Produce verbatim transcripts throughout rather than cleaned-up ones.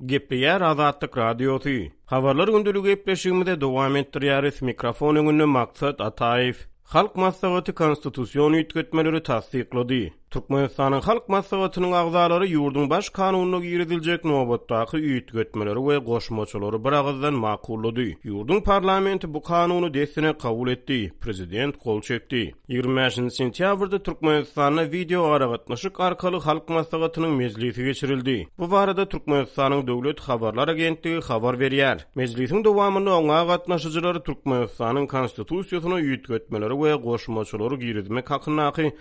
Gepleýär Azatlyk Radiosy. Habarlar gündeligi gepleşigimize dowam etdirýäris. Mikrofon öňünde Maksat Ataýew. Halk Maslahaty konstitusion üýtgetmeleri tassyklady. Türkmenistanyň Halk Maslahatynyň agzalary ýurduň Baş kanunyna giriziljek nobatdaky üýtgetmeleri we goşmaçalary bir agyzdan makullady. Ýurduň parlamenti bu kanuny dessine kabul etdi, prezident gol çekdi. Ýigrimi bäşinji sentýabrda Türkmenistanda wideoaragatnaşyk arkaly Halk Maslahatynyň mejlisi geçirildi. Bu barada Türkmenistanyň Döwlet habarlar agentligi habar berýär. Mejlisiň dowamynda oňa gatnaşyjylar Türkmenistanyň Konstitusiýasyna üýtgetmeleri we goşmaçalary girizmek hakyndaky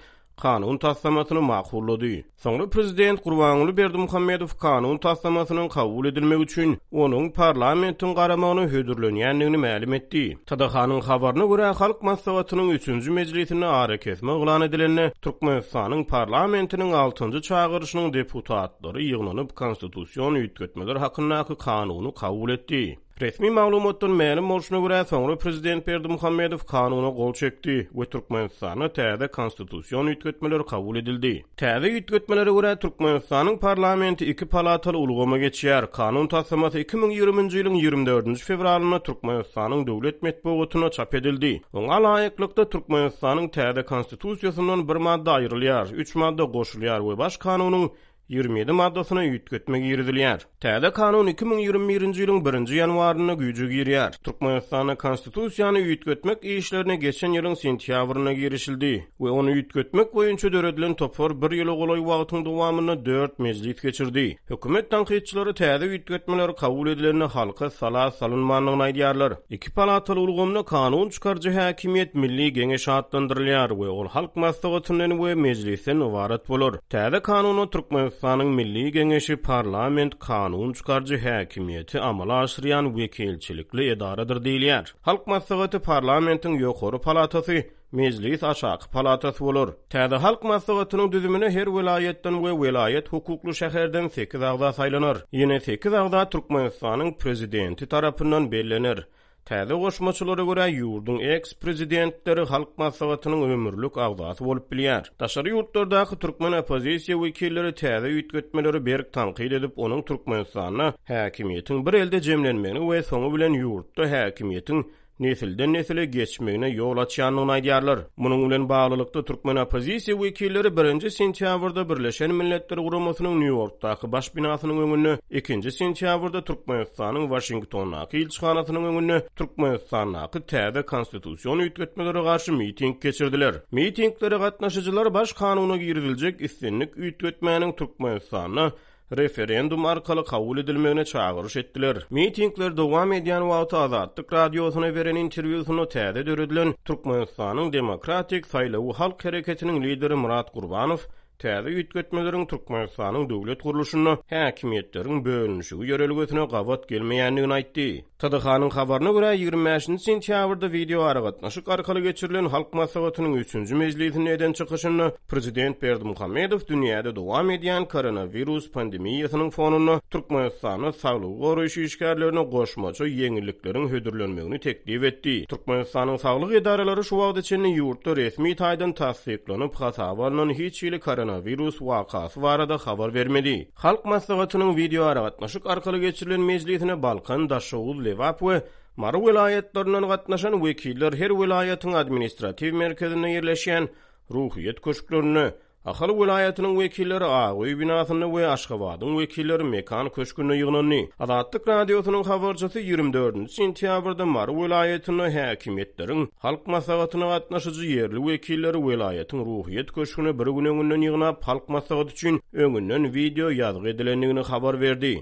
kanun taslamasyny makullady. Soňra prezident Gurbanguly Berdimuhamedow kanun taslamasynyň kabul edilmegi üçin onuň parlamentiň garamagyna hödürlenýändigini mälim etdi. T D H-nyň habaryna görä, Halk Maslahatynyň üçünji mejlisinde arakesme yglan edilende, Türkmenistanyň parlamentiniň altynjy çagyryşynyň deputatlary ýygnanyp, konstitusion üýtgetmeler hakyndaky kanuny kabul etdi. Resmi maglumatdan mälim bolşuna görä, soňra prezident Berdimuhamedow kanuna gol çekdi we Türkmenistanda täze konstitusion üýtgetmeler kabul edildi. Täze üýtgetmelere görä, Türkmenistanyň parlamenti iki palataly ulgama geçýär. Kanun taslamasy iki müň ýigriminji ýylyň ýigrimi dördünji fewralynda Türkmenistanyň döwlet metbugatynda çap edildi. Oňa laýyklykda, Türkmenistanyň täze konstitusiýasyndan bir madda aýrylýar, üç madda goşulýar we Baş kanunyň ýigrimi ýedi maddasyna üýtgetme girizilýär. Täze kanun iki müň ýigrimi birinji ýylyň birinji ýanwarynda güýje girýär. Türkmenistanda konstitusiýany üýtgetmek işlerine geçen ýylyň sentýabrynda girişildi we ony üýtgetmek boýunça döredilen topar bir ýyla golaý wagtyň dowamynda dört mejlis geçirdi. Hökümet tankytçylary täze üýtgetmeler kabul edilende halka sala salynmandygyny aýdýarlar. Iki palataly ulgamda kanun çykaryjy häkimiýet Milli Geňeş atlandyrylýar we ol Halk Maslahatyndan we Mejlisden ybarat bolar. Täze kanunda Türkmenistanyň Milli Geňeşi parlament kanun çykaryjy häkimiýeti amala aşyrýan wekilçilikli edaradyr diýilýär. Halk Maslahaty parlamentiň ýokary palatasy, Mejlis aşaky palatasy bolar. Täze Halk Maslahatynyň düzümine her welaýatdan we welaýat hukukly şäherden sekiz agza saýlanar. Ýene sekiz agza Türkmenistanyň prezidenti tarapyndan bellener. Täze goşmaçalara görä, ýurduň eks-prezidentleri Halk Maslahatynyň ömürlik agzasy bolup bilýär. Daşary ýurtlardaky türkmen oppozisiýa wekilleri täze üýtgetmeleri berk tankyt edip, onuň Türkmenistanda häkimiýetiň bir elde jemlenmegini we soňy bilen ýurtda häkimiýetiň nesilden nesile geçmegine ýol açýandygyny aýdýarlar. Munuň bilen baglylykda türkmen oppozisiýa wekilleri birinji sentýabrda Birleşen Milletler Guramasynyň Nýu-Ýorkdaky baş binasynyň öňünde, ikinji sentýabrda Türkmenistanyň Waşingtondaky ilçihanasynyň öňünde Türkmenistandaky täze konstitusion üýtgetmelere garşy miting geçirdiler. Mitinglere gatnaşyjylar baş kanuna giriziljek islendik üýtgetmäniň Türkmenistanda referendum arkaly kabul edilmegine çagyryş etdiler. Mitingler dowam edýän wagty Azatlyk Radiosyna beren interwýusynda täze döredilen Türkmenistanyň Demokratik Saýlawy halk hereketiniň lideri Myrat Gurbanow täze üýtgetmeleriň Türkmenistanyň döwlet gurluşynda häkimiýetleriň bölünişigi ýörelgesine gabat gelmeýändigini aýtdy. T D H-nyň habaryna görä, ýigrimi bäşinji sentýabrda wideoaragatnaşyk arkaly geçirilen Halk Maslahatynyň üçünji mejlisinde eden çykyşynda prezident Berdimuhamedow dünýäde dowam edýän koronawirus pandemiýasynyň fonunda Türkmenistanda saglygy goraýyş işgärlerine goşmaça ýeňillikleriň hödürlenmegini teklip etdi. Türkmenistanyň saglyk edaralary şu wagta çenli ýurtda resmi taýdan tassyklanyp hasaba alnan hiç hili koronawirus wakasy barada habar bermedi. Halk Maslahatynyň wideoaragatnaşyk arkaly geçirilen mejlisine Balkan, Daşoguz, Lebap we Mary welaýatlaryndan gatnaşan wekiller her welaýatyň administratiw merkezinde ýerleşýän Ruhyýet köşklerinde, Ahal welaýatynyň wekilleri Ak öý binasynda we Aşgabadyň wekilleri Mekan köşgünde ýygnandy. Azatlyk Radiosynyň habarçysy ýigrimi dördünji sentýabrda Mary welaýatynda häkimiýetleriň Halk Maslahatyna gatnaşyjy ýerli wekilleri welaýatyň Ruhyýet köşgüne bir gün öňünden ýygnap, Halk Maslahaty üçin öňünden wideo ýazgy edilendigini habar berdi.